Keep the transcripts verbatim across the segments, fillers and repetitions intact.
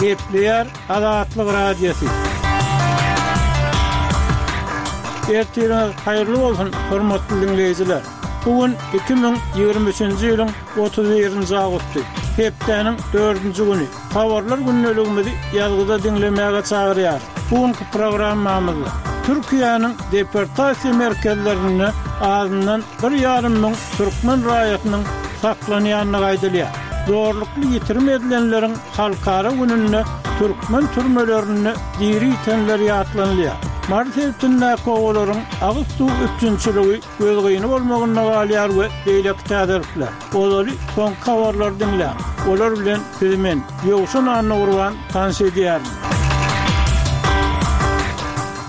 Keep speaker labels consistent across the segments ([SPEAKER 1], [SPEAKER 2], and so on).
[SPEAKER 1] Gepleýär Azatlyk Radiosy. Ertiriňiz haýyrly bolsun, hormatly diňleýjiler! Bu gün iki müň ýigrimi üçünji ýylyň otuz birinji awgusty, hepdäniň dördünji güni. Habarlar gündeligimizi ýazgyda diňlemäge çagyrýarys. Bu günki programmamyzda Türkiýäniň deportasiýa merkezlerinde azyndan bir ýarym müň türkmen raýatynyň saklanýandygy aýdylýar. Zorlukly ýitirim edilenleriň halkara gününde türkmen türmelerinde diri ýitenler ýatlanylýar. Mary sebitindäki obalaryň agyz suw üpjünçiligi gözgyny bolmagynda galýar we beýleki täzelikler. Ozaly soňky habarlary diňläň. Olar bilen sizi men, Ýowşan Annagurban tanyş edýärin.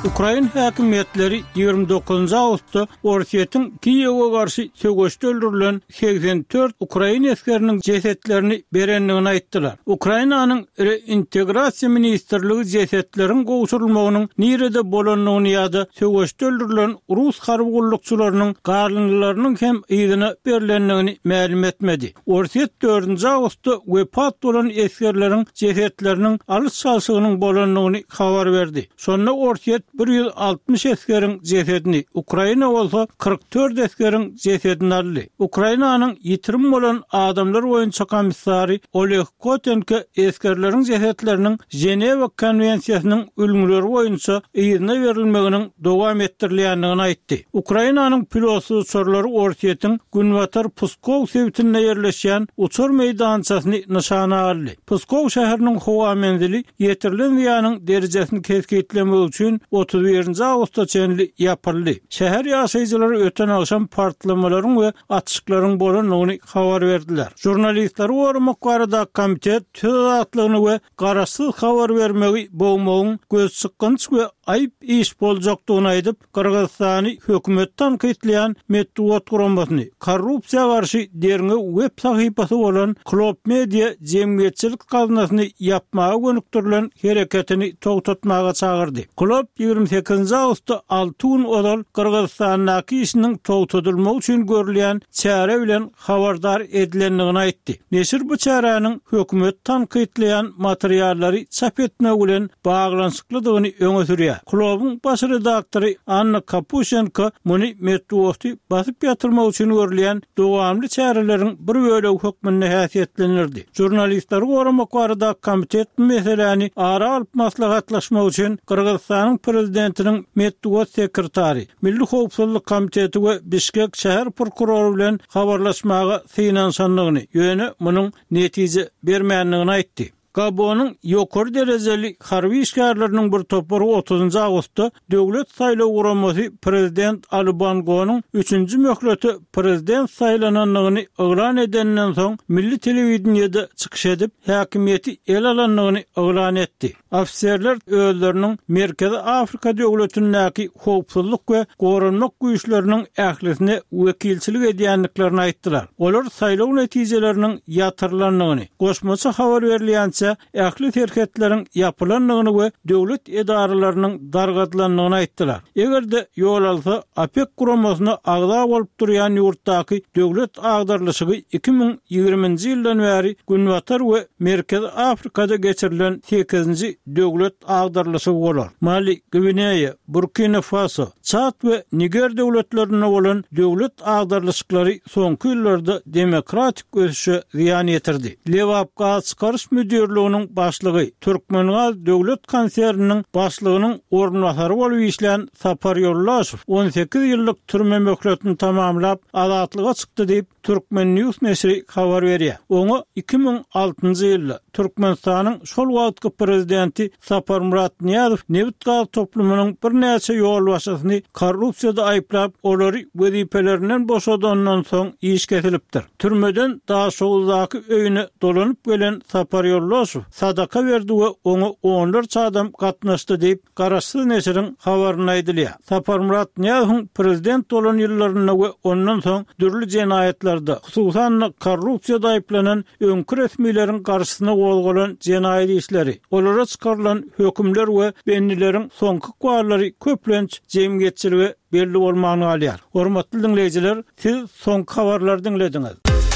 [SPEAKER 1] Ukrain häkimiýetleri ýigrimi dokuzynjy awgustda Orsýetiň Kiýewe garşy söweşde öldürilen segsen dört ukrain esgeriniň jesetlerini berendigini aýtdylar. Ukrainanyň Reintegrasiýa ministrligi jesetleriň gowşurylmagynyň nirede bolandygyny ýa-da söweşde öldürilen rus harby gullukçylarynyň galyndylarynyň hem yzyna berlendigini mälim etmedi. Orsýet dördünji awgustda wepat bolan esgerleriň jesetleriniň alyş-çalşygynyň bolandygyny habar berdi. Şonda Orsýet bir ýüz altmyş esgeriň jesedini, Ukraina bolsa kyrk dört esgeriň jesedini aldy. Ukrainanyň ýitirim bolan adamlar boýunça komissary Oleg Kotenko esgerleriň jesetleriniň Ženewa konwensiýasynyň ülňüleri boýunça yzyna berilmeginiň dowam etdirilýändigini aýtdy. Ukrainanyň pilotsyz uçarlary Orsýetiň günbatar Pskow sebitinde ýerleşýän uçar meýdançasyny nyşana aldy. Pskow şäheriniň howa menzili ýetirilen zyýanyň derejesini kesgitlemek üçin otuz birinji awgusta çenli ýapyldy. Şäher ýaşaýjylary öten agşam partlamalaryň we atyşyklaryň bolandygyny habar berdiler. Žurnalistleri goramak baradaky komitet söz azatlygyny we garaşsyz habar bermegi bogmagyň gözçykgynç we aýyp iş boljakdygyny aýdyp, Gyrgyzystany hökümet tankytlaýan metbugat guramasyny, korrupsiýa garşy derňew web sahypasy bolan Klob Media jemgyýetçilik gaznasyny ýapmaga gönükdirilen hereketini togtatmaga çagyrdy. Klob ýigrimi sekizinji awgustda alty gün ozal Gyrgyzystandaky işiniň togtadylmagy üçin görülýän çäre bilen habardar edilendigini aýtdy. Neşir bu çäräniň hökümeti tankytlaýan materiallary çap etmek bilen baglanyşyklydygyny öňe sürýär. Klubuň baş redaktory Anna Kapuşenko muny metbugaty basyp ýatyrmak üçin görülýän dowamly çäreleriň bir bölegi hökmünde häsiýetlendirdi. Žurnalistleri goramak baradaky komitet bu meseläni ara alyp maslahatlaşmak üçin Gyrgyzystanyň prezidentiniň metbugat sekretary, Milli howpsuzlyk komiteti we Bişkek şäher prokurory bilen habarlaşmaga synanyşandygyny, ýöne munuň netije bermändigini aýtdy. Gabonyň ýokary derejeli harby işgärleriniň bir topary otuzynjy awgustda Döwlet saýlaw guramasy prezident Ali Bongonyň üçünji möhlete prezident saýlanandygyny yglan edeninden soň milli telewideniýede çykyş edip, häkimiýeti ele alandygyny yglan etdi. Ofiserler özleriniň Merkezi Afrika döwletindäki howpsuzlyk we goranmak güýçleriniň ählisine wekilçilik edýändiklerini aýtdylar. Olar saýlaw netijeleriniň ýatyrylandygyny, goşmaça habar berilýänçä ähli serhetleriň ýapylandygyny we döwlet edaralarynyň dargadylandygyny aýtdylar. Eger-de ýol alsa, OPEK guramasyna agza bolup durýan ýurtdaky döwlet agdarylyşygy iki müň ýigriminji ýyldan bäri Günbatar we Merkezi Afrikada geçirilen sekizinji döwlet agdarylyşygy bolar. Mali, Gwineýa, Burkina Faso, Çad we Niger döwletlerinde bolan döwlet agdarylyşyklary soňky ýyllarda demokratik ösüşe zyýan ýetirdi. Lebapgazçykaryş müdirliginiň başlygy, Türkmengaz döwlet konserniniň başlygynyň orunbasary bolup işlän Sapar Ýoldaşow on sekiz ýyllyk türme möhletini tamamlap, azatlyga çykdy diýip, Turkmen News neşiri habar berýär. Oňa iki müň altynjy ýylda Türkmenistanyň şol wagtky prezidenti Saparmyrat Nyýazow nebit-gaz toplumynyň birnäçe ýolbaşçysyny korrupsiýada aýyplap, olary wezipelerinden boşadandan soň iş kesilipdir. Türmeden Daşoguzdaky öýüne dolanyp gelen Sapar Ýoldaşow sadaka berdi we oňa onlarça adam gatnaşdy diýip, Garaşsyz neşiriň habarynda aýdylýar. Saparmyrat Nyýazowyň prezident bolan ýyllarynda we ondan soň dürli jenaýatlarda, hususan-da korrupsiýada aýyplanan öňki resmileriň garşysyna gozgalan jenaýat işleri, olara çykarylan hökümler we bendileriň soňky ykballary köplenç jemgyýetçilige belli bolman galýar. Hormatly diňleýjiler, siz soňky habarlary diňlediňiz.